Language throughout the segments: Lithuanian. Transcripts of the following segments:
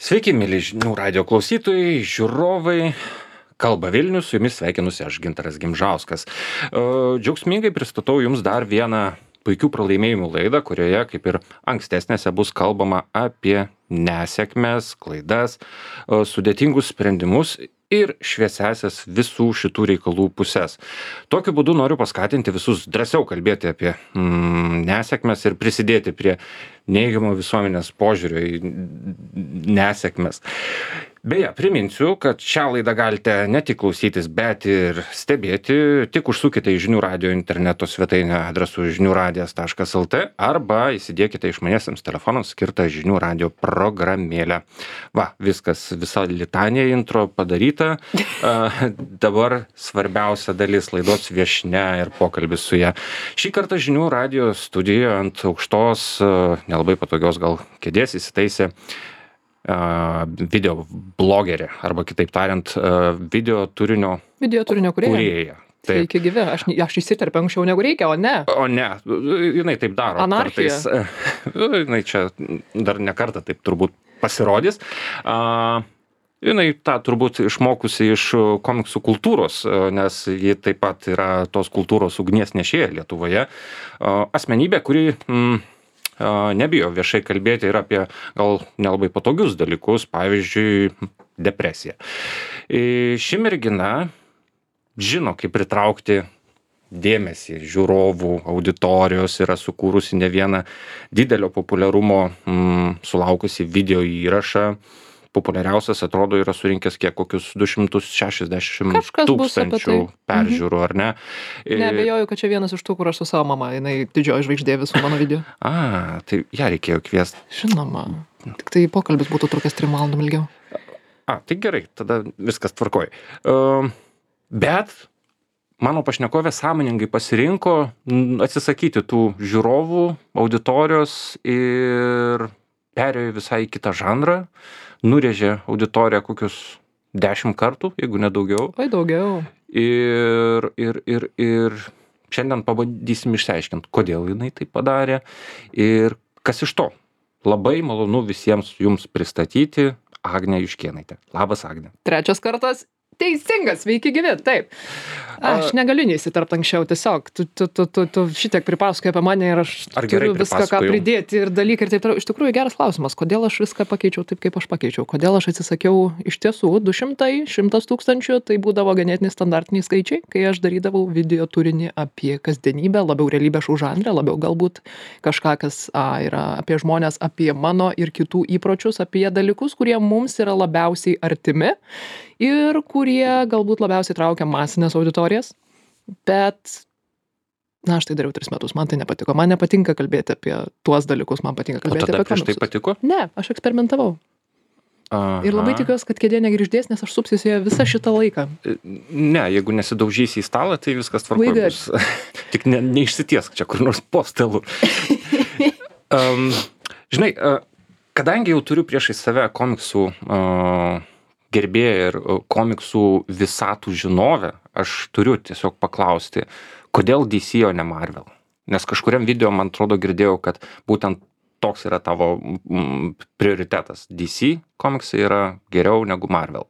Sveiki, mėly žinių radio klausytojai, žiūrovai. Kalba Vilnius, su jumis sveikinusi aš, Gintaras Gimžauskas. Džiaugsmingai pristatau jums dar vieną puikių pralaimėjimų laidą, kurioje, kaip ir ankstesnėse, bus kalbama apie nesėkmes, klaidas, sudėtingus sprendimus ir šviesiasias visų šitų reikalų pusės. Tokiu būdu noriu paskatinti visus drąsiau kalbėti apie nesėkmes ir prisidėti prie neigiamo visuomenės požiūrio į nesėkmes. Beje, priminsiu, kad šią laidą galite ne tik klausytis, bet ir stebėti. Tik užsukite į žinių radio interneto svetainę adresu žiniųradijas.lt arba įsidėkite išmaniesiems telefonams skirtą žinių radio programėlę. Va, viskas, visa litanija intro padaryta. Dabar svarbiausia dalis laidos viešnia ir pokalbis su ja. Šį kartą žinių radio studijoje ant aukštos, nelabai patogios gal kėdės įsitaisė video blogerė, arba kitaip tariant, video turinio kūrėja. Sveiki gyvi, aš įsiterpiu anksčiau negu reikia, o ne. O ne, jinai taip daro. Anarchija. Kartais, jinai čia dar ne kartą taip turbūt pasirodys. Jinai tą turbūt išmokusi iš komiksų kultūros, nes ji taip pat yra tos kultūros ugnies nešėja Lietuvoje. Asmenybė, kuri nebijo viešai kalbėti ir apie gal nelabai patogius dalykus, pavyzdžiui, depresiją. Ši mergina žino, kaip pritraukti dėmesį žiūrovų, auditorijos, yra sukūrusi ne vieną didelio populiarumo sulaukusi video įrašą. Populiariausias, atrodo, yra surinkęs kokius 260 tūkstančių peržiūrų, ar ne? Neabejoju, kad čia vienas iš tų, kur aš su savo mama, jinai didžioji žvaigždė visų mano video. Tai ją reikėjo kviesti. Žinoma, tik tai pokalbis būtų trukęs 3 valandom ilgiau. Tai gerai, tada viskas tvarkoj. Bet mano pašnekovė sąmoningai pasirinko atsisakyti tų žiūrovų, auditorijos ir perėjo visai į kitą žanrą. Nurėžė auditoriją kokius 10 kartų, jeigu ne daugiau. Oi, daugiau. Ir šiandien pabandysim išsiaiškinti, kodėl jinai tai padarė ir kas iš to. Labai malonu visiems jums pristatyti Agnę Juškėnaitę. Labas, Agne. 3 kartas. Teisingas, sveiki gyvi, taip. Aš negaliu neįsiterpti anksčiau, tiesiog tu šitiek pripasakoji apie mane ir aš turiu viską, ką pridėti ir dalykai ir taip toliau. Iš tikrųjų geras klausimas, kodėl aš viską pakeičiau taip, kaip aš pakeičiau, kodėl aš atsisakiau iš tiesų 200, 100 tūkstančių, tai būdavo ganėtinai standartiniai skaičiai, kai aš darydavau video turinį apie kasdienybę, labiau realybės šou žanrą, labiau galbūt kažką, kas yra apie žmonės, apie mano ir kitų įpročius, apie dalykus, kurie mums yra labiausiai artimi ir kurie galbūt labiausiai traukia masinės auditorijas, bet aš tai dariau 3 metus, man tai nepatiko, man nepatinka kalbėti apie tuos dalykus, man patinka kalbėti apie komiksus. O tada prieš tai patiko? Ne, aš eksperimentavau. Aha. Ir labai tikiuosi, kad kėdė negrįždės, nes aš supsiuosi joje visą šitą laiką. Ne, jeigu nesidaužysi į stalą, tai viskas tvarkoj bus. Tik neišsitiesk čia kur nors po stalu. Žinai, kadangi jau turiu priešais save komiksų gerbėją ir komiksų visatų žinovę, aš turiu tiesiog paklausti, kodėl DC, o ne Marvel? Nes kažkuriam video, man atrodo, girdėjau, kad būtent toks yra tavo prioritetas. DC komiksai yra geriau negu Marvel.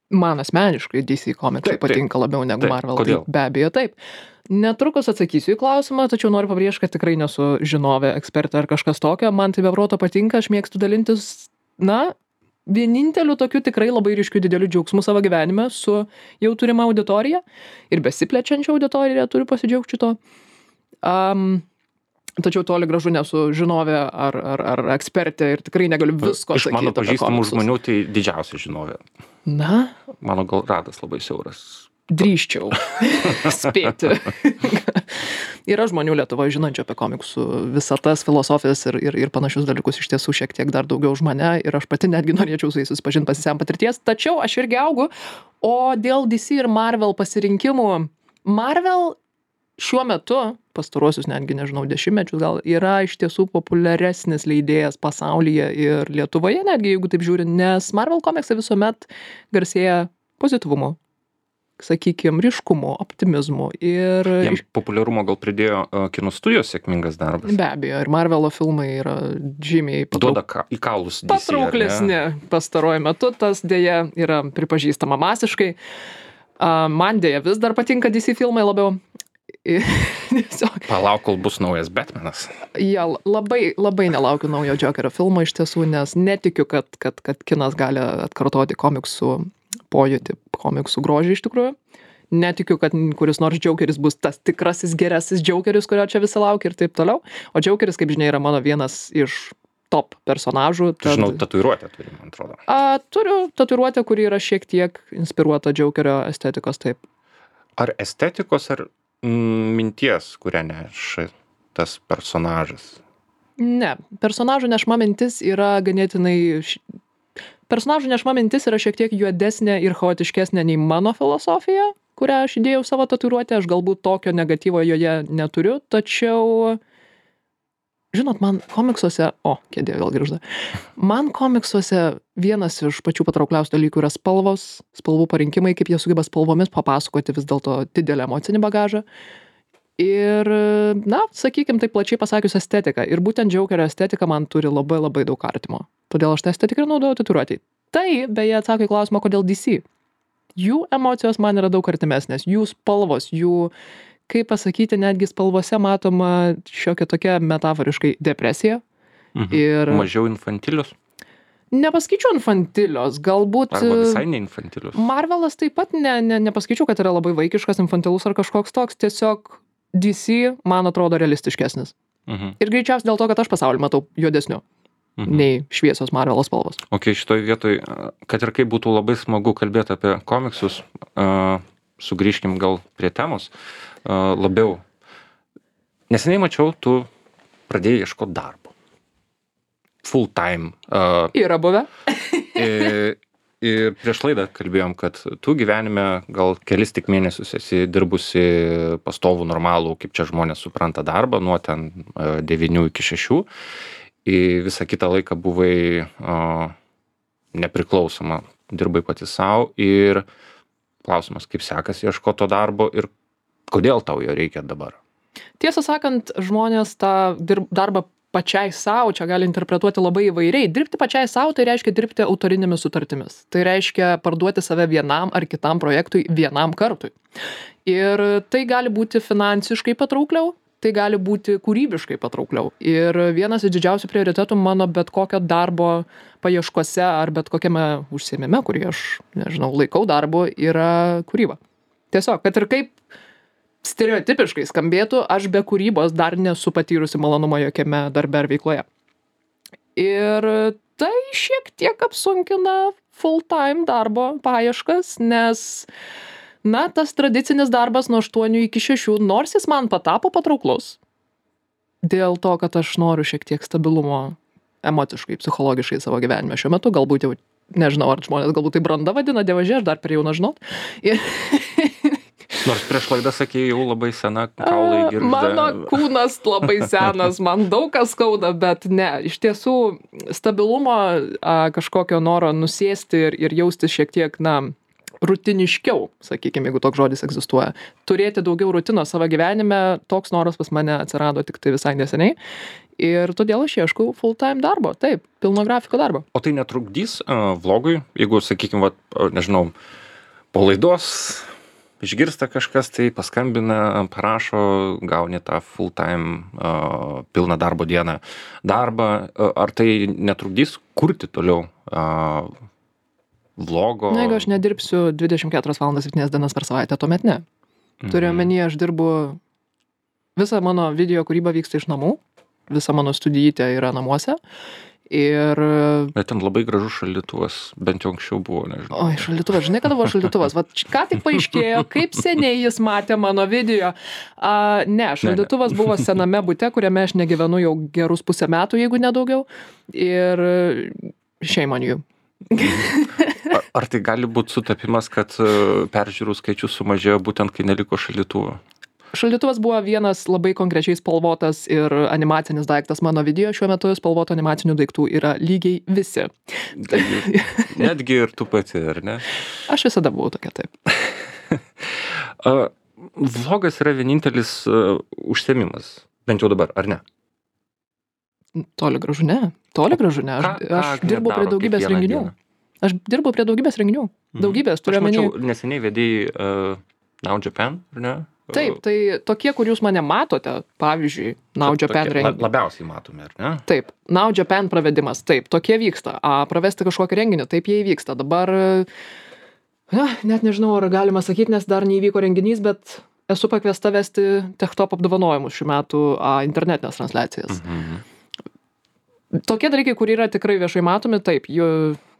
Man asmeniškai DC komiksai patinka labiau negu Marvel. Kodėl? Tai be abejo taip. Netrukus atsakysiu į klausimą, tačiau noriu pabrėžti, kad tikrai nesu žinovė, ekspertė ar kažkas tokio. Man tai be proto patinka, aš mėgstu dalintis, vieninteliu tokiu tikrai labai ryškiu dideliu džiaugsmu savo gyvenime su jau turima auditorija ir besiplečiančia auditorija, turiu pasidžiaugti šito. Tačiau toli gražu nesu žinovė ar ekspertė ir tikrai negaliu visko sakyti. Iš mano pažįstamų žmonių tai didžiausia žinovė. Mano gal ratas labai siauras. Drįsčiau spėti. Yra žmonių Lietuvoje žinančių apie komiksų visatas, filosofijas ir panašius dalykus iš tiesų šiek tiek dar daugiau už mane ir aš pati netgi norėčiau su jais susipažinti, pasisemti patirties, tačiau aš irgi augu, o dėl DC ir Marvel pasirinkimų, Marvel šiuo metu, pastaruosius netgi, nežinau, 10 mečius gal, yra iš tiesų populiaresnis leidėjas pasaulyje ir Lietuvoje, netgi jeigu taip žiūrint, nes Marvel komiksai visuomet garsėja pozityvumu. sakykime, ryškumu, optimizmu. Ir jam populiarumo gal pridėjo kino studijos sėkmingas darbas. Be abejo, ir Marvelo filmai yra žymiai duoda į kaulus DC, patrauklesni pastaruoju metu, tas dėja yra pripažįstama masiškai. Man dėja vis dar patinka DC filmai labiau. Palauk, kol bus naujas Batmanas. Ja, labai nelaukiu naujo Jokerio filmo iš tiesų, nes netikiu, kad kinas gali atkartoti komiksų pojūtį, komiksų grožį iš tikrųjų. Netikiu, kad kuris nors Jokeris bus tas tikrasis gerasis Jokeris, kurio čia visi laukia ir taip toliau. O Jokeris, kaip žinia, yra mano vienas iš top personažų. Žinau, tatuiruotę turi, man atrodo. Turiu tatuiruotę, kuri yra šiek tiek inspiruota Jokerio estetikos, taip. Ar estetikos, ar minties, kurią neša tas personažas? Ne, personažų nešma mintis yra ganėtinai... Personažų nešma mintis yra šiek tiek juodesnė ir chaotiškesnė nei mano filosofija, kurią aš įdėjau savo tatuiruotę. Aš galbūt tokio negatyvo joje neturiu, tačiau... Žinot, man komiksuose... kėdė vėl grįžta. Man komiksuose vienas iš pačių patraukliausių dalykų yra spalvos, spalvų parinkimai, kaip jie sugeba spalvomis papasakoti vis dėlto didelį emocinį bagažą. Ir, sakykime, taip plačiai pasakius estetika. Ir būtent Jokerio estetika man turi labai labai daug artimo. Todėl aš tą estetiką naudoju tatuiruotei. Tai, beje, atsako į klausimą, kodėl DC. Jų emocijos man yra daug artimesnės. Jų spalvos, jų... kaip pasakyti, netgi spalvose matoma šiokia tokia metaforiškai depresija. Ir... Mažiau infantilius? Nepaskaičiu infantilios, galbūt... Arba visai ne infantilius. Marvelas taip pat nepaskaičiu, kad yra labai vaikiškas, infantilus ar kažkoks toks. Tiesiog DC, man atrodo, realistiškesnis. Ir greičiausiai dėl to, kad aš pasaulį matau juodesniu nei šviesios Marvelo spalvos. Ok, šitoj vietoj, kad ir kaip būtų labai smagu kalbėti apie komiksus, sugrįžkim gal prie temos. Labiau. Neseniai mačiau, tu pradėjai ieškoti darbo. Full time. Yra buvę. Ir prieš laidą kalbėjom, kad tu gyvenime gal kelis tik mėnesius esi dirbusi pastovų normalų, kaip čia žmonės supranta darbą, nuo ten 9 iki 6. Ir visą kitą laiką buvai nepriklausoma, dirbai pati savo. Ir klausimas, kaip sekasi ieškoti to darbo ir kodėl tau jo reikia dabar? Tiesą sakant, žmonės tą darbą pačiai savo čia gali interpretuoti labai įvairiai. Dirbti pačiai savo tai reiškia dirbti autorinėmis sutartimis. Tai reiškia parduoti save vienam ar kitam projektui vienam kartui. Ir tai gali būti finansiškai patraukliau, tai gali būti kūrybiškai patraukliau. Ir vienas iš didžiausių prioritetų mano bet kokio darbo paieškose ar bet kokiame užsiėmime, kurį aš, laikau darbu, yra kūryba. Tiesiog, kad ir kaip stereotipiškai skambėtų, aš be kūrybos dar nesu patyrusi malonumo jokiame darbe ar veikloje. Ir tai šiek tiek apsunkina full-time darbo paieškas, nes, tas tradicinis darbas nuo 8 iki 6, nors jis man patapo patrauklus, dėl to, kad aš noriu šiek tiek stabilumo emociškai, psichologiškai savo gyvenime šiuo metu, galbūt jau, nežinau, ar žmonės galbūt tai branda vadina, dievaži, aš dar per jauna žinot. Nors prieš laidą sakė, jau labai sena, kaulai girgžda. Mano kūnas labai senas, man daug kas skauda, bet ne, iš tiesų stabilumo, kažkokio noro nusėsti ir jaustis šiek tiek, rutiniškiau, sakykime, jeigu toks žodis egzistuoja. Turėti daugiau rutinos savo gyvenime, toks noras pas mane atsirado tik tai visai neseniai. Ir todėl aš ieškau full-time darbo, taip, pilno grafiko darbo. O tai netrukdys vlogui, jeigu, sakykime, nežinau, po laidos išgirsta kažkas, tai paskambina, parašo, gauni tą full-time pilną darbo dieną darbą. Ar tai netrukdys kurti toliau vlogo? Jeigu aš nedirbsiu 24 valandas 7 dienas per savaitę, tuomet ne. Turiu omeny, aš dirbu, visa mano video kūryba vyksta iš namų, visa mano studijytė yra namuose. Bet ten labai gražus šaldytuvas, bent jau anksčiau buvo, nežinau. Oi, šaldytuvas, žinai, kada buvo šaldytuvas? Ką tik paaiškėjo, kaip seniai jis matė mano video. Ne, šaldytuvas buvo sename bute, kuriame aš negyvenu jau gerus pusę metų, jeigu nedaugiau. Ir shame on you. Ar tai gali būti sutapimas, kad peržiūrų skaičius sumažėjo būtent, kai neliko šaldytuvo? Šaldytuvas buvo vienas labai konkrečiai spalvotas ir animacinis daiktas mano video. Šiuo metu spalvoto animacinių daiktų yra lygiai visi. Netgi ir tu pati, ar ne? Aš visada buvau tokia, taip. Vlogas yra vienintelis užsiėmimas, bent jau dabar, ar ne? Toli gražu ne. Aš dirbau prie daugybės renginių. Daugybės, turiu omeny. Aš mačiau, neseniai vedėjai Now Japan, ar ne? Taip, tai tokie, kur jūs mane matote, pavyzdžiui, Now Japan renginį. Labiausiai matome, ar ne? Taip, Now Japan pravedimas, taip, tokie vyksta. Pravesti kažkokį renginį, taip jie įvyksta. Dabar, net nežinau, ar galima sakyti, nes dar neįvyko renginys, bet esu pakviesta vesti Techtop apdovanojimus šių metų internetinės transliacijas. Tokie dalykai, kur yra tikrai viešai matomi, taip,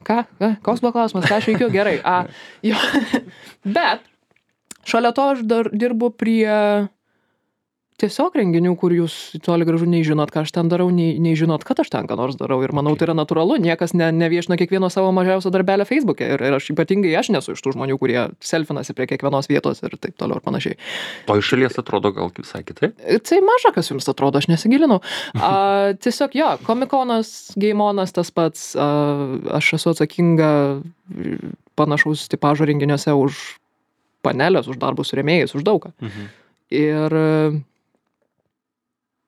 koks buvo klausimas, ką aš veikiu, gerai. Bet šalia to aš dar dirbu prie tiesiog renginių, kur jūs toli gražu nei žinot, ką aš ten darau, nei žinot, kad aš ten ką nors darau. Ir manau, tai yra natūralu, niekas neviešina kiekvieno savo mažiausio darbelio Facebook'e. Ir aš ypatingai nesu iš tų žmonių, kurie selfinasi prie kiekvienos vietos ir taip toliau ir panašiai. O iš šalies atrodo gal visai kitaip? Tai maža, kas jums atrodo, aš nesigilinau. Tiesiog Komikonas, Geimonas tas pats, aš esu atsakinga panašaus tipažo renginiuose už panelės, už darbus su rėmėjais, už daugą. Ir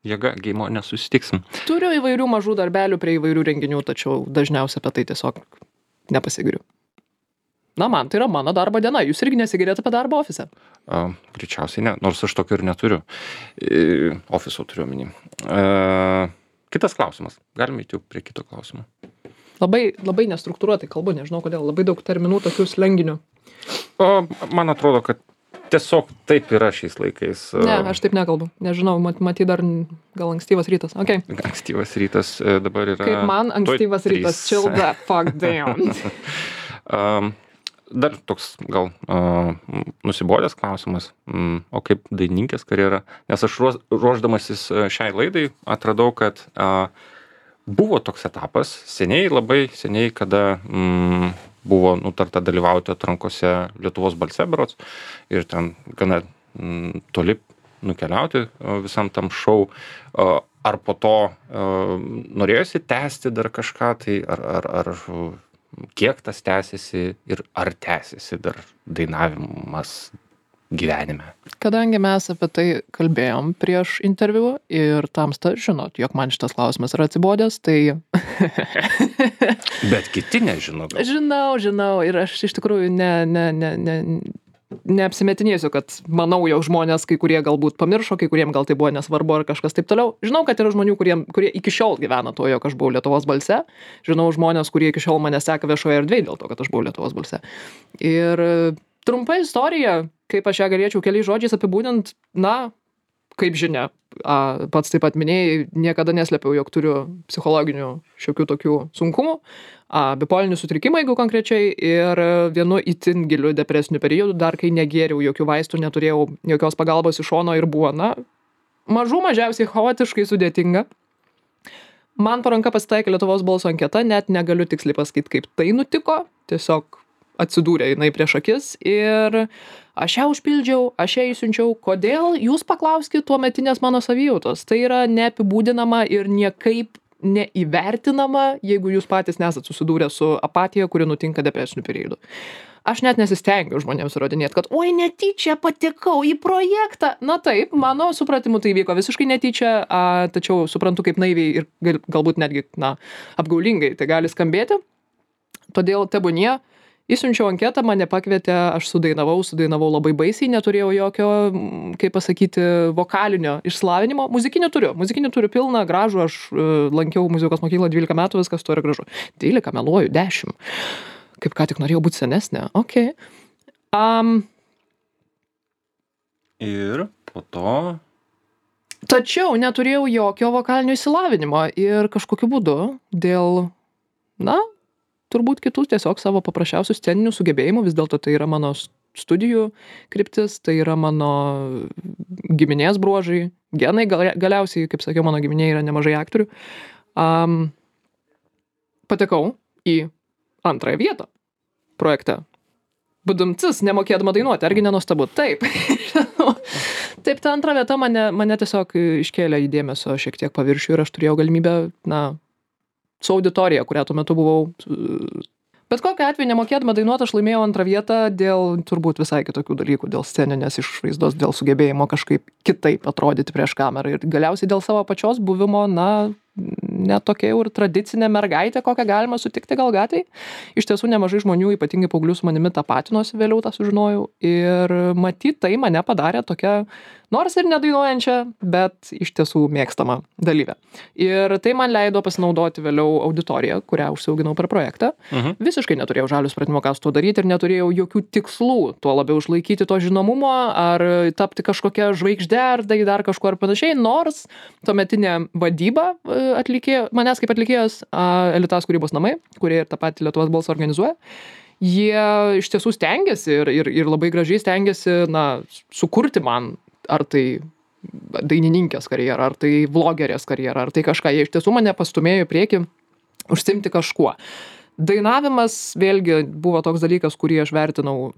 jėga, Geimo nesusitiksim. Turiu įvairių mažų darbelių prie įvairių renginių, tačiau dažniausiai apie tai tiesiog nepasigiriu. Man tai yra mano darbo diena. Jūs irgi nesigirėt apie darbą ofise? Greičiausiai ne, nors aš tokio ir neturiu. Ofiso turiu omeny. Kitas klausimas. Galime įti prie kito klausimo. Labai nestruktūruotai kalbu, nežinau kodėl. Labai daug terminų, tokių slenginių. Man atrodo, kad tiesiog taip yra šiais laikais. Ne, aš taip nekalbu. Nežinau, matyt dar gal ankstyvas rytas. Okay. Ankstyvas rytas dabar yra... Kaip man ankstyvas rytas, chill the fuck down. Dar toks gal nusibodęs klausimas, o kaip dainininkės karjera? Nes aš ruošdamasis šiai laidai atradau, kad buvo toks etapas, labai seniai, kada buvo nutarta dalyvauti atrankose Lietuvos balse berods ir ten gana toli nukeliauti visam tam šou. Ar po to norėjosi tęsti dar kažką, tai ar kiek tas tęsiasi ir ar tęsiasi dar dainavimas gyvenime? Kadangi mes apie tai kalbėjom prieš interviu ir tamsta žinot, jog man šitas klausimas yra atsibodęs, tai... Bet kiti nežino. Žinau ir aš iš tikrųjų neapsimetinėsiu, kad manau, jog žmonės, kai kurie galbūt pamiršo, kai kuriem gal tai buvo nesvarbu ar kažkas taip toliau. Žinau, kad yra žmonių, kurie iki šiol gyvena to, jog aš buvau Lietuvos balse. Žinau žmonės, kurie iki šiol mane seka viešoje erdvėje dėl to, kad aš buvau Lietuvos balse. Ir trumpa istorija, kaip aš ją galėčiau keliais žodžiais apibūdint, kaip žinia, pats taip pat minėjai, niekada neslėpiau, jog turiu psichologinių šiokių tokių sunkumų, bipolinių sutrikimų, jeigu konkrečiai, ir vienu itin giliu depresiniu periodu, dar kai negėriau jokių vaistų, neturėjau jokios pagalbos iš šono ir buvo, mažiausiai chaotiškai sudėtinga. Man po ranka pasitaikė Lietuvos balso anketa, net negaliu tiksliai pasakyti, kaip tai nutiko, tiesiog atsidūrė jinai prieš akis ir aš ją užpildžiau, aš ją įsiunčiau. Kodėl? Jūs paklauskit tuometinės mano savijautos. Tai yra neapibūdinama ir niekaip neįvertinama, jeigu jūs patys nesat susidūrę su apatija, kuri nutinka depresiniu periodu. Aš net nesistengiu žmonėms įrodinėti, kad oi, netyčia patekau į projektą. Taip, mano supratimu tai vyko visiškai netyčia, tačiau suprantu, kaip naiviai ir galbūt netgi apgaulingai tai gali skambėti. Todėl tebūnie. Įsiunčiau anketą, mane pakvietė, aš sudainavau labai baisiai, neturėjau jokio, kaip pasakyti, vokalinio išsilavinimo. Muzikinį turiu pilną, gražų, aš lankiau muzikos mokyklą 12 metų, viskas to yra gražu. 12, meluoju, 10. Kaip ką tik norėjau būti senesnė, okei. Ir po to... Tačiau neturėjau jokio vokalinio išsilavinimo ir kažkokiu būdu dėl, turbūt kitų tiesiog savo paprasčiausių sceninių sugebėjimų, vis dėlto tai yra mano studijų kryptis, tai yra mano giminės bruožai, genai galiausiai, kaip sakiau, mano giminėje yra nemažai aktorių. Patekau į antrąją vietą projekte. Budumcis, nemokėdama dainuoti, argi nenuostabu? Taip. Taip, ta antra vieta mane tiesiog iškėlė į dėmesio šiek tiek paviršių ir aš turėjau galimybę, su auditorija, kurią tuo metu buvau Bet kokiu atveju nemokėdama dainuoti, aš laimėjau antrą vietą dėl turbūt visai kitokių dalykų, dėl sceninės išvaizdos, dėl sugebėjimo kažkaip kitaip atrodyti prieš kamerą ir galiausiai dėl savo pačios buvimo, ne tokia jau ir tradicinė mergaitė, kokią galima sutikti gal gatvėj. Iš tiesų nemažai žmonių, ypatingai paauglių su manimi tapatinosi, vėliau tą sužinojau. Ir matyt, tai mane padarė tokia, nors ir nedainuojančią, bet iš tiesų mėgstama dalyvė. Ir tai man leido pasinaudoti vėliau auditoriją, kurią užsiauginau per projektą. Visiškai neturėjau žalių supratimo, ką su tuo daryti ir neturėjau jokių tikslų, tuo labiau išlaikyti to žinomumo ar tapti kažkokia žvaigždė ar dar kažkuo ar panašiai, nors tuometinė vadyba manęs kaip atlikėjos Elitas kūrybos namai, kurie ir tą patį Lietuvos balsą organizuoja, jie iš tiesų stengiasi ir labai gražiai stengiasi sukurti man ar tai dainininkės karjerą, ar tai vlogerės karjerą, ar tai kažką. Jie iš tiesų mane pastumėjo į priekį užsiimti kažkuo. Dainavimas vėlgi buvo toks dalykas, kurį aš vertinau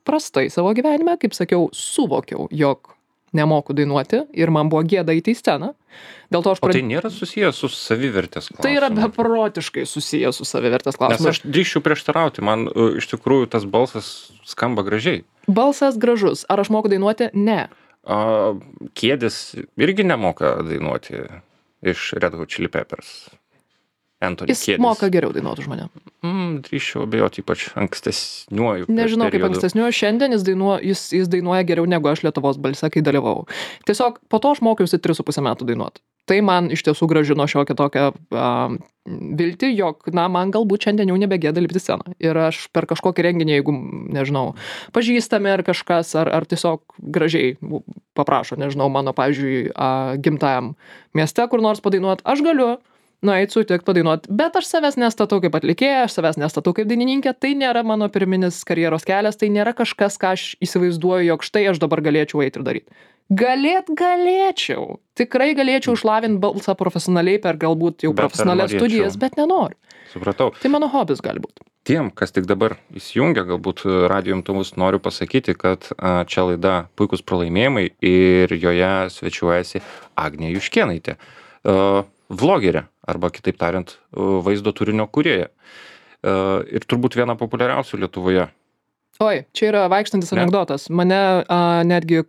prastai savo gyvenime, kaip sakiau, suvokiau, jog nemoku dainuoti ir man buvo gėda eiti į sceną. Dėl to O tai nėra susijęs su savivertės klausimu? Tai yra beprotiškai susijęs su savivertės klausimu. Nes aš drįsčiau prieštarauti, man iš tikrųjų tas balsas skamba gražiai. Balsas gražus. Ar aš moku dainuoti? Ne. Kėdės irgi nemoka dainuoti iš Red Hot Chili Peppers. Anthony Jis Kiedis. Moka geriau dainuoti už mane. Drįsčiau abejoti, ypač ankstesniuoju. Nežinau, kaip ankstesniuoju. Šiandien jis dainuoja geriau negu aš Lietuvos balse, kai dalyvavau. Tiesiog po to aš mokiausi 3,5 metų dainuoti. Tai man iš tiesų grąžino šiokią tokią viltį, jog, man galbūt šiandien jau nebegėda lipti sceną. Ir aš per kažkokį renginį, jeigu, nežinau, pažįstami ar kažkas, ar tiesiog gražiai paprašo, nežinau, mano, pavyzdžiui, gimtajam mieste kur nors padainuoti, aš galiu nueit sutikt padainuot, bet aš savęs nestatau kaip atlikėja, aš savęs nestatau kaip dainininkė, tai nėra mano pirminis karjeros kelias, tai nėra kažkas, ką aš įsivaizduoju, jog štai aš dabar galėčiau eiti ir daryti. Galėčiau. Tikrai galėčiau išlavinti balsą profesionaliai per galbūt jau profesionalias studijas, bet nenoriu. Supratau. Tai mano hobis gali būti. Tiem, kas tik dabar įsijungia, galbūt radijo imtuvus, noriu pasakyti, kad čia laida Puikūs pralaimėjimai ir joje svečiuojasi Agnė Juškėnaitė, vlogerė, arba kitaip tariant, vaizdo turinio kūrėja. Ir turbūt viena populiariausių Lietuvoje. Oi, čia yra vaikštantis anekdotas. Mane netgi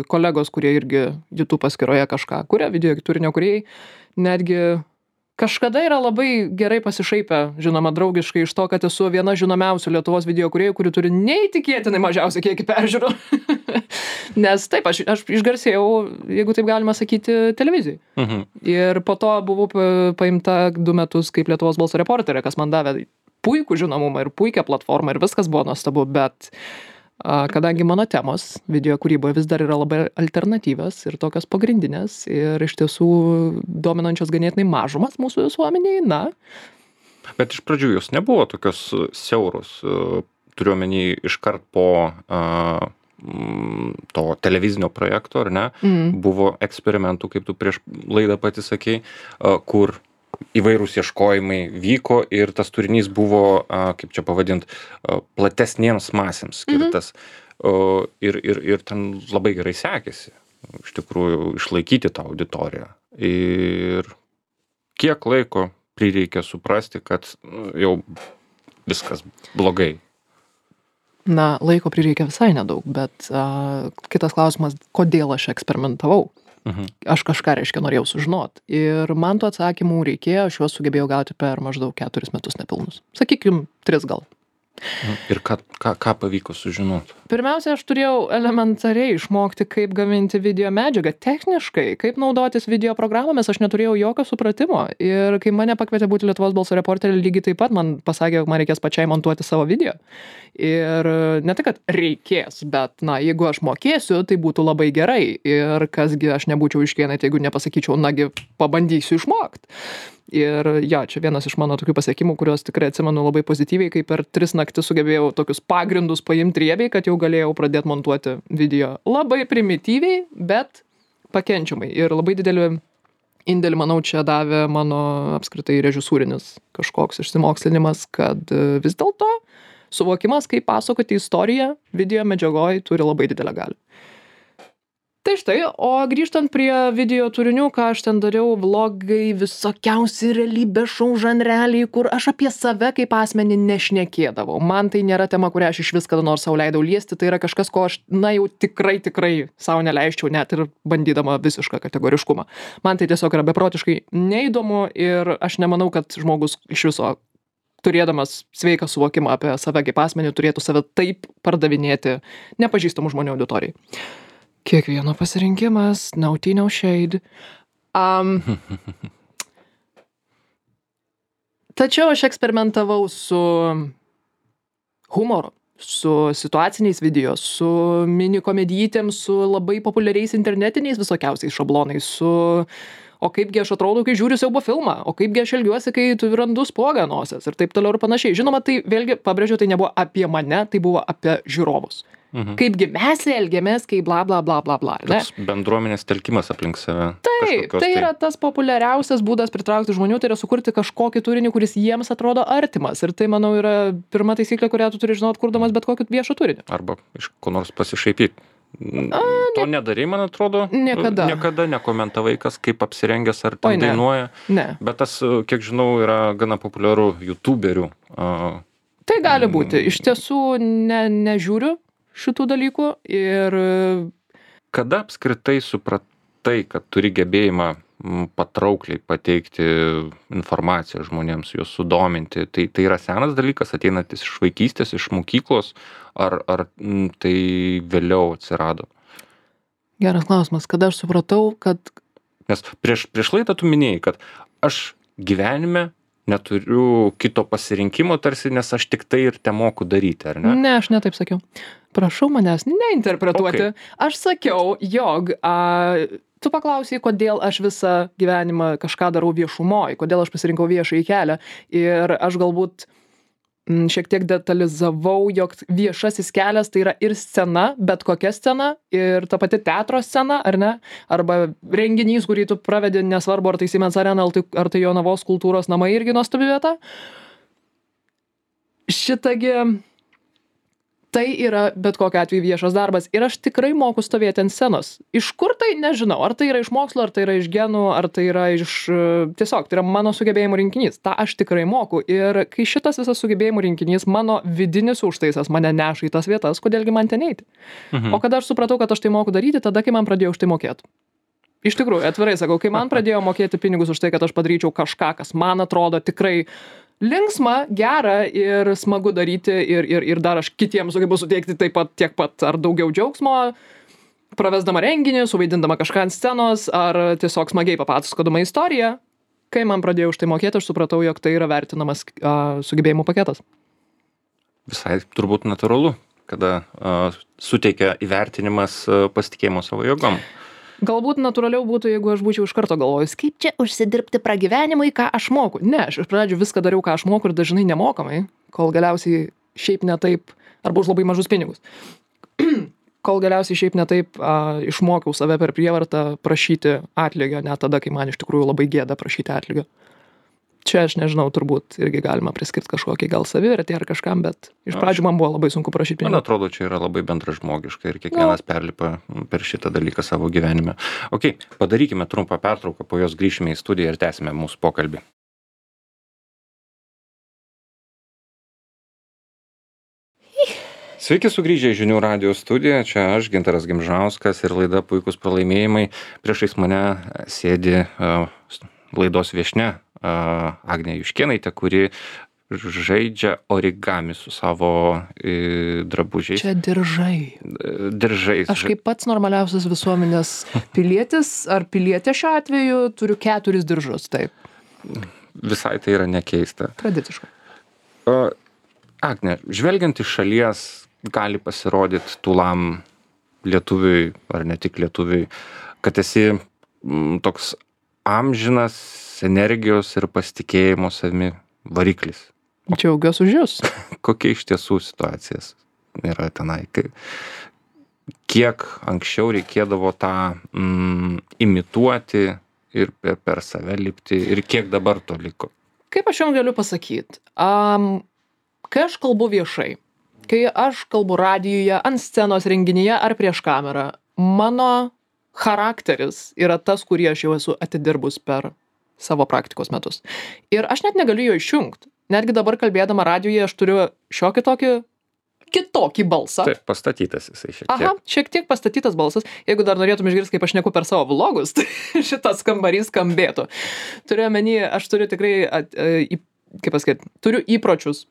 kolegos, kurie irgi YouTube paskyroje kažką kuria, video turinio kūrėjai, netgi kažkada yra labai gerai pasišaipę, žinoma, draugiškai iš to, kad esu viena žinomiausių Lietuvos video kūrėjų, kuri turi neįtikėtinai mažiausią kiekį peržiūrų. Nes taip, aš išgarsėjau, jeigu taip galima sakyti, televizijai. Ir po to buvau paimta 2 metus kaip Lietuvos balso reporterė, kas man davė puikų žinomumą ir puikią platformą ir viskas buvo nuostabu, bet kadangi mano temos video kūryboje vis dar yra labai alternatyvios ir tokios pagrindinės ir iš tiesų dominančios ganėtinai mažumas mūsų visuomeniai, Bet iš pradžių jos nebuvo tokios siauros, turiuomenį iškart po to televizinio projekto, ar ne? Buvo eksperimentų, kaip tu prieš laidą pati sakei, kur įvairūs ieškojimai vyko ir tas turinys buvo, kaip čia pavadint, platesniems masėms skirtas. Ir ten labai gerai sekėsi, iš tikrųjų, išlaikyti tą auditoriją. Ir kiek laiko prireikė suprasti, kad jau viskas blogai? Laiko prireikė visai nedaug, bet kitas klausimas, kodėl aš eksperimentavau? Aš kažką, reiškia, norėjau sužinot. Ir man tų atsakymų reikėjo, aš juos sugebėjau gauti per maždaug 4 metus nepilnus. Sakykim, 3 gal. Ir ką pavyko sužinoti? Pirmiausia, aš turėjau elementariai išmokti, kaip gaminti video medžiagą techniškai, kaip naudotis video programomis, aš neturėjau jokio supratimo. Ir kai mane pakvietė būti Lietuvos balso reporterė, lygiai taip pat man pasakė, jog man reikės pačiai montuoti savo video. Ir ne tai, kad reikės, bet, jeigu aš mokėsiu, tai būtų labai gerai. Ir kasgi aš nebūčiau Juškėnaitė, jeigu nepasakyčiau, pabandysiu išmokti. Ir čia vienas iš mano tokių pasiekimų, kuriuos tikrai atsimenu labai pozityviai, kai per 3 naktis sugebėjau tokius pagrindus paimti riebiai, kad jau galėjau pradėti montuoti video labai primityviai, bet pakenčiamai. Ir labai didelį indėlį, manau, čia davė mano apskritai režisūrinis kažkoks išsimokslinimas, kad vis dėlto suvokimas, kaip pasakoti istoriją video medžiagoj, turi labai didelę galią. Tai štai, o grįžtant prie video turinių, ką aš ten dariau, vlogai, visokiausi realybės šou žanreliai, kur aš apie save kaip asmenį nešnekėdavau. Man tai nėra tema, kurią aš iš vis kada nors sau leidau liesti, tai yra kažkas, ko aš, jau tikrai sau neleisčiau, net ir bandydama visišką kategoriškumą. Man tai tiesiog yra beprotiškai neįdomu ir aš nemanau, kad žmogus iš viso turėdamas sveiką suvokimą apie save kaip asmenį turėtų save taip pardavinėti nepažįstamų žmonių auditorijai. Kiekvieno pasirinkimas, no tea, no shade. Tačiau aš eksperimentavau su humoru, su situaciniais video, su mini komedijitėm, su labai populiariais internetiniais visokiausiais šablonais, o kaipgi aš atrodau, kai žiūriu siaubo filmą, o kaipgi aš elgiuosi, kai tu randu spuogą nosies ir taip toliau ir panašiai. Žinoma, tai vėlgi, pabrėžiu, tai nebuvo apie mane, tai buvo apie žiūrovus. Kaipgi mes elgiamės, kai bla bla bla bla bla. Toks bendruomenės telkimas aplink save. Taip, tai yra tas populiariausias būdas pritraukti žmonių, tai yra sukurti kažkokį turinį, kuris jiems atrodo artimas. Ir tai, manau, yra pirma taisyklė, kurią tu turi žinot, kurdamas bet kokį viešą turinį. Arba iš ko nors pasišaipyti. To nedarai, man atrodo. Niekada nekomentavai, kas kaip apsirengęs ar ten dainuoja. Ne. Bet tas, kiek žinau, yra gana populiaru youtuberių. Tai gali būti. Iš tiesų nežiūriu šitų dalykų ir... Kada apskritai supratai, kad turi gebėjimą patraukliai pateikti informaciją žmonėms, juos sudominti? Tai yra senas dalykas, ateinantis iš vaikystės, iš mokyklos, ar tai vėliau atsirado? Geras klausimas. Kada aš supratau, kad... Nes prieš laidą tu minėjai, kad aš gyvenime neturiu kito pasirinkimo tarsi, nes aš tik tai ir te moku daryti, ar ne? Ne, aš netaip sakiau. Prašau manęs neinterpretuoti. Okay. Aš sakiau, jog tu paklausai, kodėl aš visą gyvenimą kažką darau viešumoj, kodėl aš pasirinkau viešąjį kelią. Ir aš galbūt šiek tiek detalizavau, jog viešasis kelias tai yra ir scena, bet kokia scena, ir ta pati teatro scena, ar ne? Arba renginys, kurį tu pravedi, nesvarbu, ar tai Siemens Arena, ar tai Jonavos kultūros namai, irgi nuostabi vieta. Šitagi, tai yra bet kokiu atveju viešas darbas. Ir aš tikrai moku stovėti ant scenos. Iš kur tai nežinau. Ar tai yra iš mokslo, ar tai yra iš genų, ar tai yra iš... Tiesiog, tai yra mano sugebėjimų rinkinys. Ta aš tikrai moku. Ir kai šitas visas sugebėjimų rinkinys, mano vidinis užtaisas mane neša į tas vietas, kodėlgi man ten eiti. O kada aš supratau, kad aš tai moku daryti, tada, kai man pradėjo už tai mokėti. Iš tikrųjų, atvirai sakau, kai man pradėjo mokėti pinigus už tai, kad aš padaryčiau kažką, kas man atrodo tikrai linksma, gera ir smagu daryti ir dar aš kitiems sugebu suteikti taip pat tiek pat ar daugiau džiaugsmo, pravesdama renginį, suvaidindama kažką ant scenos ar tiesiog smagiai papasakodama istoriją. Kai man pradėjo už tai mokėti, aš supratau, jog tai yra vertinamas sugebėjimų paketas. Visai turbūt natūralu, kada suteikia įvertinimas pasitikėjimo savo jėgom. Galbūt natūraliau būtų, jeigu aš būčiau iš karto galvojus, kaip čia užsidirbti pragyvenimui, ką aš moku. Ne, aš iš pradžių viską dariau, ką aš moku ir dažnai nemokamai, kol galiausiai šiaip ne taip, arba už labai mažus pinigus. Kol galiausiai šiaip ne taip išmokiau save per prievartą prašyti atlygio, net tada, kai man iš tikrųjų labai gėda prašyti atlygio. Čia aš nežinau, turbūt irgi galima priskirti kažkokį gal savivertį ar kažkam, bet iš pradžių man buvo labai sunku prašyti pinigų. Man atrodo, čia yra labai bendražmogiška ir kiekvienas perlipa per šitą dalyką savo gyvenime. Ok, padarykime trumpą pertrauką, po jos grįšime į studiją ir tęsime mūsų pokalbį. Sveiki sugrįžę į Žinių radijo studiją, čia aš, Gintaras Gimžauskas ir laida Puikūs pralaimėjimai. Priešais mane sėdi laidos viešnia Agnė Juškėnaitė, kuri žaidžia origami su savo drabužiais. Čia diržai. Diržais. Aš kaip pats normaliausias visuomenės pilietis ar pilietė šiuo atveju turiu 4 diržus, taip. Visai tai yra nekeista. Tradiciškai. Agne, žvelgiant iš šalies, gali pasirodyti tūlam lietuviui, ar ne tik lietuviui, kad esi toks amžinas energijos ir pasitikėjimo savimi variklis. Džiaugiuosi už jūs. Kokia iš tiesų situacijas yra tenai? Kiek anksčiau reikėdavo tą imituoti ir per save lipti ir kiek dabar to liko? Kaip aš jums galiu pasakyti? Kai aš kalbu viešai, kai aš kalbu radijuje, ant scenos renginyje ar prieš kamerą, mano charakteris yra tas, kurį aš jau esu atidirbus per savo praktikos metus. Ir aš net negaliu jo išjungti. Netgi dabar kalbėdama radijuje aš turiu šiokį tokį kitokį balsą. Taip, pastatytas jisai šiek tiek. Aha, šiek tiek pastatytas balsas. Jeigu dar norėtum išgirsti, kaip aš šneku per savo vlogus, tai šitas kambarys skambėtų. Turiu omeny, aš turiu tikrai, kaip pasakyti, turiu įpročius,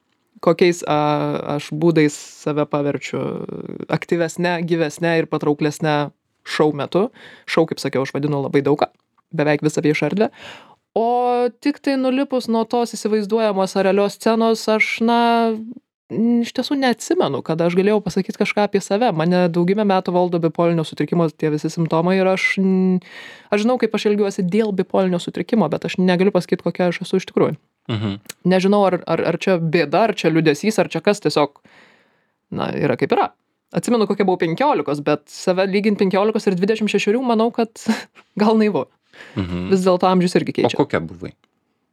kokiais aš būdais save paverčiu aktyvesnė, gyvesnė ir patrauklesnė šou metu. Šou, kaip sakiau, aš vadinu labai daugą, beveik visą viešą erdvę. O tik tai nulipus nuo tos įsivaizduojamos ar realios scenos, aš, iš tiesų neatsimenu, kad aš galėjau pasakyti kažką apie save. Mane daugybę metų valdo bipolinio sutrikimo tie visi simptomai ir aš žinau, kaip aš elgiuosi dėl bipolinio sutrikimo, bet aš negaliu pasakyti, kokia aš esu iš tikrųjų. Nežinau, ar čia bėda, ar čia liūdesys, ar čia kas tiesiog, yra kaip yra. Atsimenu, kokia buvau 15, bet save lyginti 15 ir 26, manau, kad gal naivu. Vis dėlto amžius irgi keičia. O kokia buvai?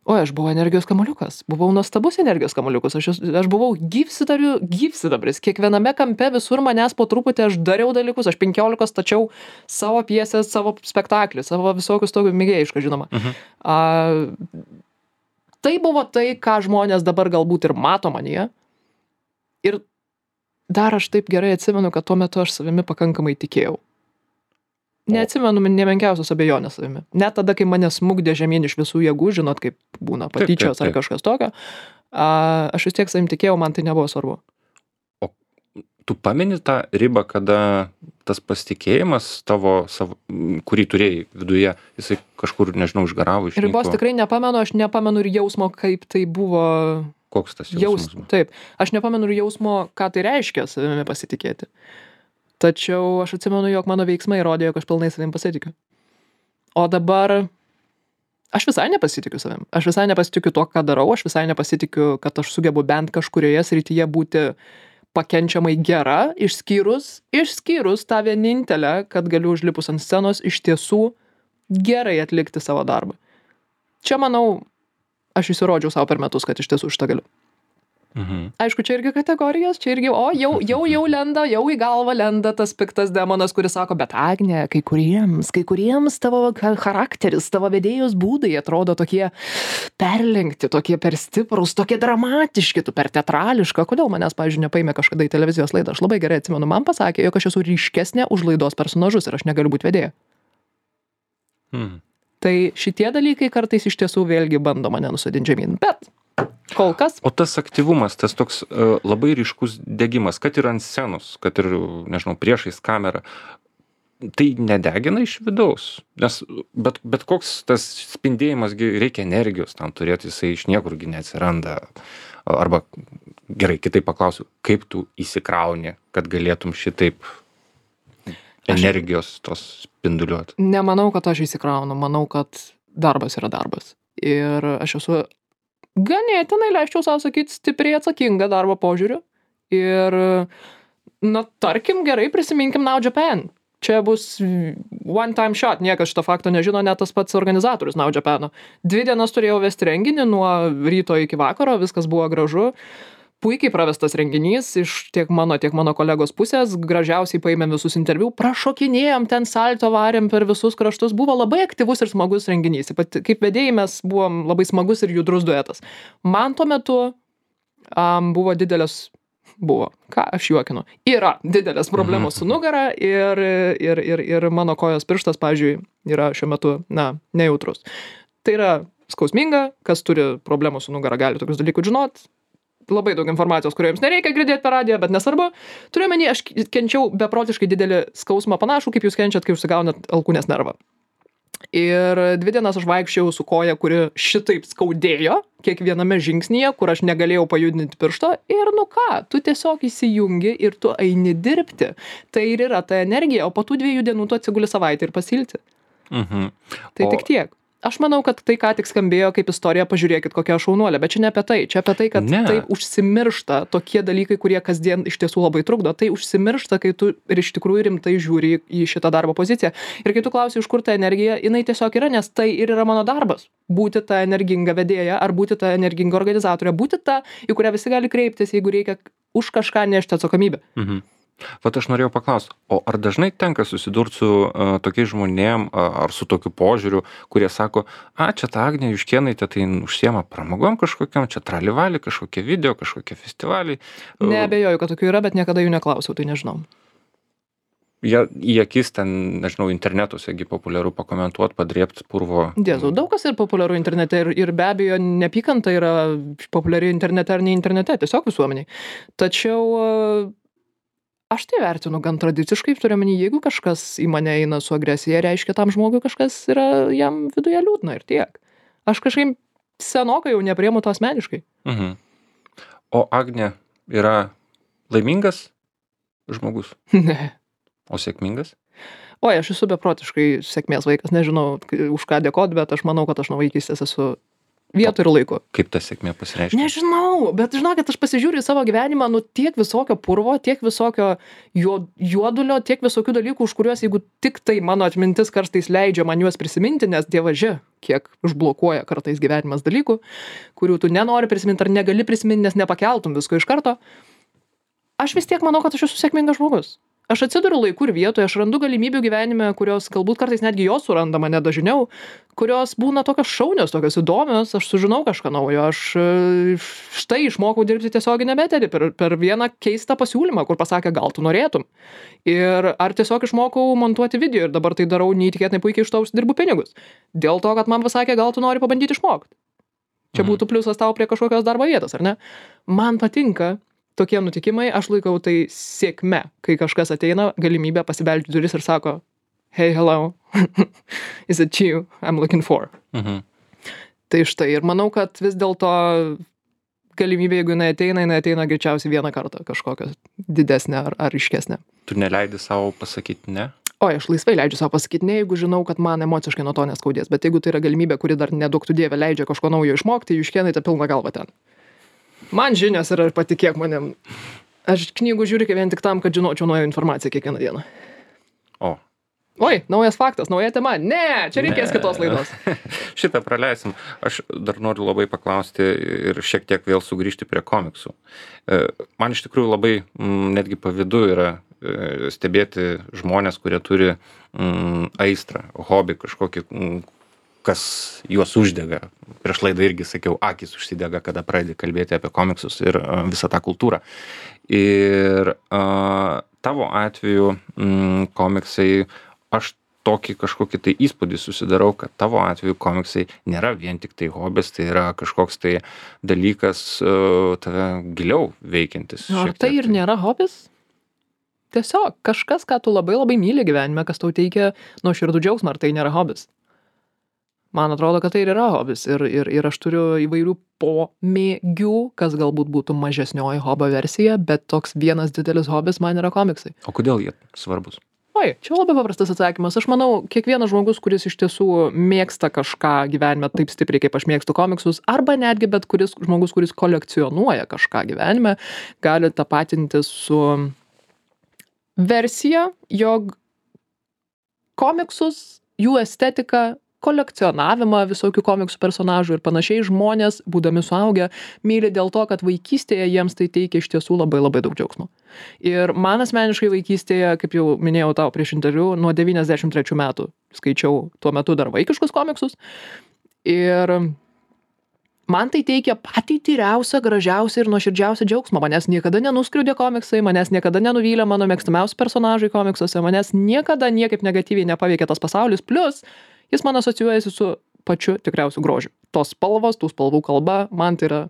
O, aš buvau energijos kamuoliukas. Buvau nuostabus energijos kamuoliukas. Aš buvau gyvsidabris. Kiekviename kampe visur manęs po truputį aš dariau dalykus. Aš 15 stačiau savo pjesės, savo spektaklį, savo visokius tokius mėgėjišką, žinoma. Tai buvo tai, ką žmonės dabar galbūt ir mato manyje. Ir dar aš taip gerai atsimenu, kad tuo metu aš savimi pakankamai tikėjau. Neatsimenu nemenkiausios abejonės savimi. Net tada, kai mane smugdė žemyn iš visų jėgų, žinot, kaip būna patyčios ar kažkas tokio, aš vis tiek savim tikėjau, man tai nebuvo svarbu. O tu pameni tą ribą, kada tas pasitikėjimas tavo, kurį turėjai viduje, jisai kažkur, nežinau, išgaravo, išnyko? Ribos tikrai nepamenu, aš nepamenu ir jausmo, kaip tai buvo. Koks tas jausmas buvo? Taip, aš nepamenu ir jausmo, ką tai reiškia savimi pasitikėti. Tačiau aš atsimenu, jog mano veiksmai rodė, jog aš pilnai savim pasitikiu. O dabar aš visai nepasitikiu savim. Aš visai nepasitikiu to, ką darau. Aš visai nepasitikiu, kad aš sugebu bent kažkurioje srityje būti pakenčiamai gera, išskyrus tą vienintelę, kad galiu užlipus ant scenos iš tiesų gerai atlikti savo darbą. Čia, manau, aš įsirodžiau savo per metus, kad iš tiesų šitą galiu. Aišku, čia irgi kategorijos, čia irgi, jau lenda, jau į galvą lenda tas piktas demonas, kuris sako, bet Agne, kai kuriems tavo charakteris, tavo vedėjos būdai atrodo tokie perlenkti, tokie per stiprus, tokie dramatiški, tu per teatrališka. Kodėl manęs, pavyzdžiui, nepaėmė kažkada į televizijos laidą? Aš labai gerai atsimenu, man pasakė, jog aš esu ryškesnė už laidos personažus ir aš negaliu būti vedėja. Tai šitie dalykai kartais iš tiesų vėlgi bando mane nusodinti žemyn, bet kol kas. O tas aktyvumas, tas toks labai ryškus degimas, kad ir ant scenos, kad ir, nežinau, priešais kamerą, tai nedegina iš vidaus. Nes bet koks tas spindėjimas, reikia energijos tam turėti, jisai iš niekurgi neatsiranda. Arba, gerai, kitaip paklausiu, kaip tu įsikrauni, kad galėtum šitaip energijos tos spinduliuoti? Nemanau, kad aš įsikraunu, manau, kad darbas yra darbas. Ir aš esu ganėtinai, leisčiau savo sakyti, stipriai atsakinga darbo požiūriu. Ir, tarkim, gerai prisiminkim Now Japan. Čia bus one time shot, niekas šito fakto nežino, net tas pats organizatorius Now Japano. 2 dienas turėjau vesti renginį nuo ryto iki vakaro, viskas buvo gražu. Puikiai pravestas renginys iš tiek mano kolegos pusės, gražiausiai paėmėm visus interviu, prašokinėjom, ten salto varėm per visus kraštus, buvo labai aktyvus ir smagus renginys. Kaip vedėjai mes buvom labai smagus ir judrus duetas. Man tuo metu aš juokinu, yra didelės problemos su nugara ir mano kojos pirštas, pavyzdžiui, yra šiuo metu, nejautrus. Tai yra skausminga, kas turi problemų su nugara, gali tokius dalykus žinot. Labai daug informacijos, kurio jums nereikia girdėti per radiją, bet nesvarbu. Turiu omeny, aš kenčiau beprotiškai didelį skausmą panašų, kaip jūs kenčiat, kai užsigaunat alkūnės nervą. Ir 2 dienas aš vaikščiau su koja, kuri šitaip skaudėjo kiekviename žingsnyje, kur aš negalėjau pajudinti piršto. Ir tu tiesiog įsijungi ir tu eini dirbti. Tai ir yra ta energija, o po tų 2 dienų tu atsiguli savaitę ir pasilti. Tai tik tiek. Aš manau, kad tai, ką tik skambėjo kaip istorija, pažiūrėkit, kokia šaunuolė, bet čia ne apie tai. Čia apie tai, kad taip užsimiršta tokie dalykai, kurie kasdien iš tiesų labai trukdo. Tai užsimiršta, kai tu ir iš tikrųjų rimtai žiūri į šitą darbo poziciją. Ir kai tu klausi, iš kur ta energija, jinai tiesiog yra, nes tai ir yra mano darbas. Būti ta energinga vedėja, ar būti ta energinga organizatorė, būti ta, į kurią visi gali kreiptis, jeigu reikia už kažką nešti atsakomybę. Vat aš norėjau paklausti, o ar dažnai tenka susidurti su tokiais žmonėm ar su tokiu požiūriu, kurie sako, čia ta Agnė Juškėnaitė tai užsiema pramogom kažkokiam, čia tralivalį, kažkokie video, kažkokie festivaliai. Neabejoju, kad tokių yra, bet niekada jų neklausiau, tai nežinau. Jie į akis ten, nežinau, internetuosegi populiaru pakomentuot, padrėpt purvo. Dėzu, daug kas ir populiaru internete ir be abejo neapykanta yra populiari internete ar ne internete, tiesiog visuomeniai. Tačiau aš tai vertinu gan tradiciškai, turiu omeny, jeigu kažkas į mane eina su agresija, reiškia tam žmogui kažkas yra jam viduje liūdna ir tiek. Aš kažkaip senokai jau nepriemu to asmeniškai. O Agnė yra laimingas žmogus? Ne. O sėkmingas? Oi, aš esu beprotiškai sėkmės vaikas, nežinau už ką dėkot, bet aš manau, kad aš nuo vaikystės esu vietoj ir laiku. Kaip ta sėkmė pasireiškia? Nežinau, bet žinokit, aš pasižiūriu į savo gyvenimą, tiek visokio purvo, tiek visokio juodulio, tiek visokių dalykų, už kuriuos, jeigu tik tai mano atmintis kartais leidžia man juos prisiminti, nes dievaži, kiek užblokuoja kartais gyvenimas dalykų, kurių tu nenori prisiminti ar negali prisiminti, nes nepakeltum visko iš karto. Aš vis tiek manau, kad aš esu sėkmingas žmogus. Aš atsiduriu laiku ir vietoje, aš randu galimybių gyvenime, kurios galbūt kartais netgi jos suranda mane dažniau, kurios būna tokios šaunios, tokios įdomios, aš sužinau kažką naujo, aš štai išmokau dirbti tiesioginę eterį per vieną keistą pasiūlymą, kur pasakė, gal tu norėtum. Ir ar tiesiog išmokau montuoti video ir dabar tai darau neįtikėtinai puikiai, iš to užsidirbu pinigus. Dėl to, kad man pasakė, gal tu nori pabandyti išmokti. Čia būtų pliusas tau prie kažkokios darbo vietos, ar ne? Man patinka tokie nutikimai, aš laikau tai sėkme, kai kažkas ateina, galimybę pasibelsti duris ir sako, hey, hello, is it you I'm looking for? Tai štai, ir manau, kad vis dėlto galimybė, jeigu jinai ateina greičiausiai vieną kartą kažkokią didesnę ar ryškesnę. Tu neleidi savo pasakyti ne? Oi, aš laisvai leidžiu savo pasakyti ne, jeigu žinau, kad man emociškai nuo to neskaudės, bet jeigu tai yra galimybė, kuri dar nedaug tu dievė leidžia kažko naujo išmokti, Juškėnaitė pilna galva ten. Man žinios yra, patikėk manim. Aš knygų žiūriu vien tik tam, kad žinočiau naują informaciją kiekvieną dieną. Oi, naujas faktas, nauja tema. Ne, čia reikės kitos laidos. Šitą praleisim. Aš dar noriu labai paklausti ir šiek tiek vėl sugrįžti prie komiksų. Man iš tikrųjų labai netgi pavydu yra stebėti žmonės, kurie turi aistrą, hobį kažkokį, kas juos uždega. Prieš laidą irgi sakiau, akys užsidega, kada pradedi kalbėti apie komiksus ir visą tą kultūrą. Ir tavo atveju komiksai, aš tokį kažkokį tai įspūdį susidarau, kad tavo atveju komiksai nėra vien tik tai hobis, tai yra kažkoks tai dalykas tave giliau veikiantis. Ar tai ir nėra hobis? Tiesiog kažkas, ką tu labai labai myli gyvenime, kas tau teikia nuoširdų džiaugsmą, ar tai nėra hobis? Man atrodo, kad tai ir yra hobis ir aš turiu įvairių pomėgių, kas galbūt būtų mažesnioji hobio versija, bet toks vienas didelis hobis man yra komiksai. O kodėl jie svarbus? Oi, čia labai paprastas atsakymas. Aš manau, kiekvienas žmogus, kuris iš tiesų mėgsta kažką gyvenime taip stipriai, kaip aš mėgstu komiksus, arba netgi bet kuris žmogus, kuris kolekcionuoja kažką gyvenime, gali tapatinti su versija, jog komiksus, jų estetiką, kolekcionavimą visokių komiksų personažų ir panašiai žmonės, būdami suaugę, myli dėl to, kad vaikystėje jiems tai teikia iš tiesų labai labai daug džiaugsmo. Ir man asmeniškai vaikystėje, kaip jau minėjau tau prieš interviu, nuo 93 metų skaičiau tuo metu dar vaikiškus komiksus. Ir man tai teikia patį tyriausią, gražiausią ir nuoširdžiausią džiaugsmą. Manęs niekada nenuskriaudė komiksai, manęs niekada nenuvylė mano mėgstamiausi personažai komiksuose, manęs niekada niekaip negatyviai nepaveikė tas pasaulis, plus jis man asocijuojasi su pačiu tikriausiu grožiu. Tos spalvos, tų spalvų kalba, man tai yra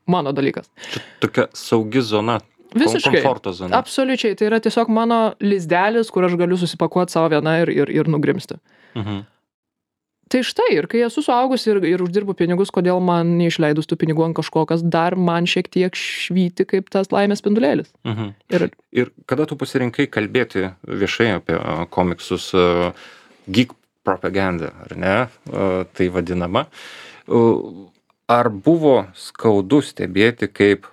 mano dalykas. Čia tokia saugi zona. Visiškai. Komforto zona. Absoliučiai. Tai yra tiesiog mano lizdelis, kur aš galiu susipakuoti savo vieną ir nugrimsti. Tai štai, ir kai esu suaugus ir uždirbu pinigus, kodėl man neišleidus tų pinigų ant kažko, kas dar man šiek tiek švyti kaip tas laimės spindulėlis. Ir kada tu pasirinkai kalbėti viešai apie komiksus, geek propaganda, ar ne, tai vadinama. Ar buvo skaudu stebėti, kaip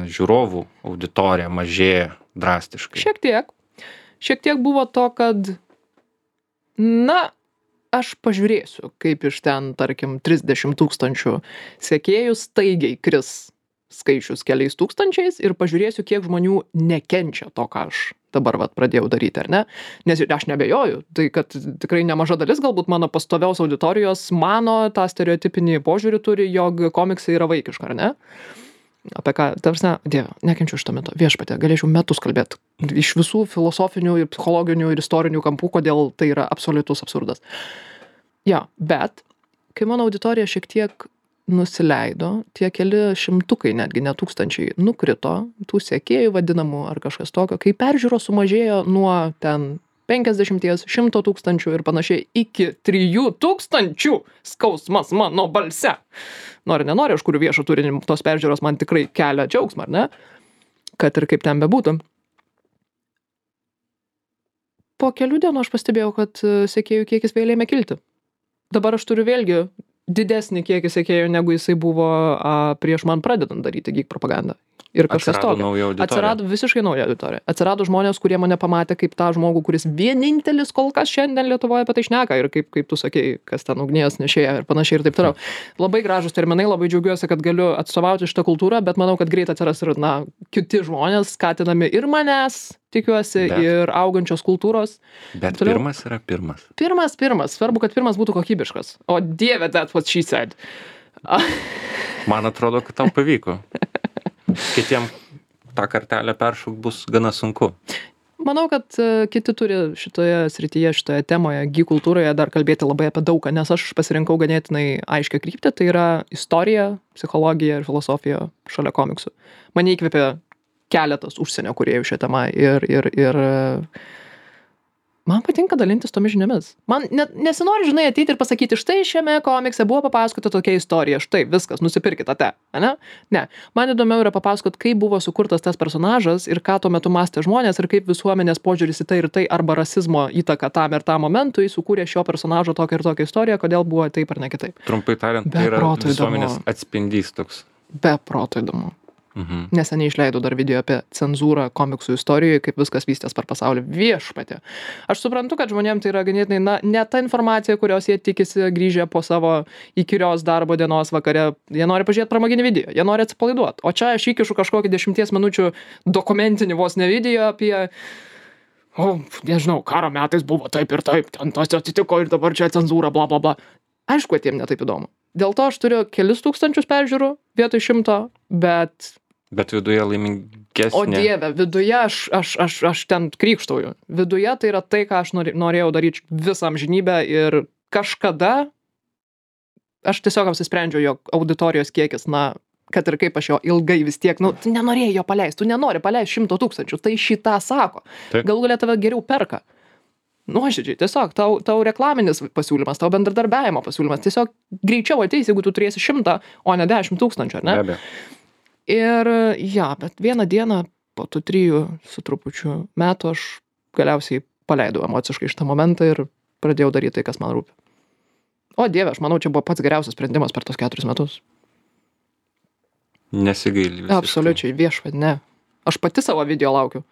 žiūrovų auditorija mažėja drastiškai? Šiek tiek buvo to, kad, aš pažiūrėsiu, kaip iš ten, tarkim, 30 000 sekėjų staigiai kris skaičius keliais tūkstančiais ir pažiūrėsiu, kiek žmonių nekenčia to, ką aš dabar pradėjau daryti, ar ne? Nes aš neabejoju, tai kad tikrai nemaža dalis galbūt mano pastoviaus auditorijos mano tą stereotipinį požiūrį turi, jog komiksai yra vaikiška, ar ne? Apie ką, tarsi, Dieve, nekenčiu šitą metu, viešpatė, galėčiau metus kalbėti iš visų filosofinių ir psichologinių ir istorinių kampų, kodėl tai yra absoliutus absurdas. Ja, bet kai mano auditorija šiek tiek nusileido, tie keli šimtukai, netgi ne tūkstančiai, nukrito, tų sekėjų vadinamų ar kažkas tokio, kai peržiūros sumažėjo nuo ten 50, 100 tūkstančių ir panašiai iki 3000 skausmas mano balse. Nori, nenori, aš kuriu viešą turinį, tos peržiūros man tikrai kelia džiaugsmą, ar ne? Kad ir kaip ten bebūtų. Po kelių dienų aš pastebėjau, kad sekėjų kiekis vėl ėmė kilti. Dabar aš turiu vėlgi didesnį kiekį sekėjų, negu jisai buvo prieš man pradedant daryti geek propagandą. Ir kažkas tokio. Atsirado visiškai nauja auditorija. Atsirado žmonės, kurie mane pamatė kaip tą žmogų, kuris vienintelis kol kas šiandien Lietuvoje apie tai šneka ir kaip tu sakei, kas ten ugnies nešėja ir panašiai ir taip toliau. Labai gražus terminai, labai džiaugiuosi, kad galiu atstovauti šitą kultūrą, bet manau, kad greit atsiras ir kiti žmonės, skatinami ir manęs, tikiuosi, ir augančios kultūros. Bet toliau. Pirmas yra pirmas. Pirmas. Svarbu, kad pirmas būtų kokybiškas. O Dieve, that's what she said. Man atrodo, kad tau pavyko. Kitiem tą kartelę peršūk bus gana sunku. Manau, kad kiti turi šitoje srityje, šitoje temoje, geek kultūroje dar kalbėti labai apie daugą, nes aš pasirinkau ganėtinai aiškią kryptį, tai yra istorija, psichologija ir filosofija šalia komiksų. Mane įkvėpė keletas užsienio kūrėjų šią temą ir man patinka dalintis tomis žiniomis. Man nesinori, žinai, ateiti ir pasakyti, štai šiame komikse buvo papasakota tokia istorija, štai viskas, nusipirkite tą, ne? Ne. Man įdomiau yra papasakot, kaip buvo sukurtas tas personažas ir ką tuo metu mąstė žmonės ir kaip visuomenės požiūris į tai ir tai arba rasizmo įtaka tam ir tam momentui sukūrė šio personažo tokią ir tokią istoriją, kodėl buvo taip ar ne kitaip. Trumpai tariant, tai yra visuomenės atspindys toks. Be proto įdomu. Neseniai išleidau dar video apie cenzūrą komiksų istorijoje, kaip viskas vystės per pasaulį. Viešpatė. Aš suprantu, kad žmonėms tai yra ganėtinai, ne ta informacija, kurios jie tikisi grįžę po savo įkyrios darbo dienos vakare. Jie nori pažiūrėti pramoginį video, jie nori atsipalaiduoti. O čia aš įkišu kažkokį 10 minučių dokumentinį vos ne video apie, nežinau, karo metais buvo taip ir taip, ten tas atsitiko ir dabar čia cenzūra, bla bla bla. Aišku, kad jiem netaip įdomu. Dėl to aš turiu kelis tūkstančius peržiūrų vietoj 100, Bet viduje laimingesnė. O Dieve, viduje aš ten krykštauju. Viduje tai yra tai, ką aš norėjau daryti visą amžinybę ir kažkada aš tiesiog apsisprendžiau, jog auditorijos kiekis, kad ir kaip aš jo ilgai vis tiek, tu nenorėjai jo paleisti, tu nenori paleisti 100 000, tai šitą sako. Galų galia tave geriau perka. Nuoširdžiai, tiesiog tau reklaminis pasiūlymas, tau bendradarbiavimo pasiūlymas, tiesiog greičiau ateis, jeigu tu turėsi 100, o ne 10 000, ar ne? Be abejo. Ir bet vieną dieną po tų 3 su trupučiu metų aš galiausiai paleidau emociškai šitą momentą ir pradėjau daryti tai, kas man rūpi. O Dieve, aš manau, čia buvo pats geriausias sprendimas per tos 4 metus. Nesigaili visiškai. Absoliučiai, viešpatė, ne. Aš pati savo video laukiu.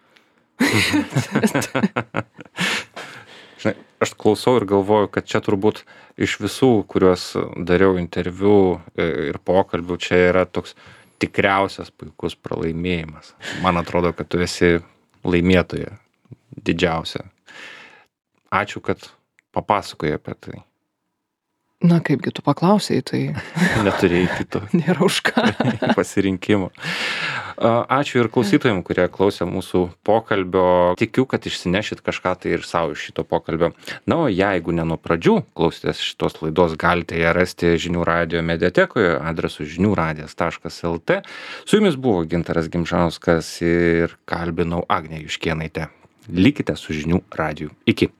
Žinai, aš klausau ir galvoju, kad čia turbūt iš visų, kuriuos dariau interviu ir pokalbių, čia yra toks tikriausias puikus pralaimėjimas. Man atrodo, kad tu esi laimėtoja didžiausia. Ačiū, kad papasakojai apie tai. Na, kaipgi tu paklausei, tai... Neturėjai kito. Nėra už ką. Pasirinkimo. Ačiū ir klausytojams, kurie klausė mūsų pokalbio. Tikiu, kad išsinešit kažką tai ir savo iš šito pokalbio. Na, o jeigu ne nuo pradžių klausėtės šitos laidos, galite ją rasti Žinių radijo mediatekoje adresu žiniųradijas.lt. Su jumis buvo Gintaras Gimžauskas ir kalbinau Agnę Juškėnaitę. Likite su Žinių radiju. Iki.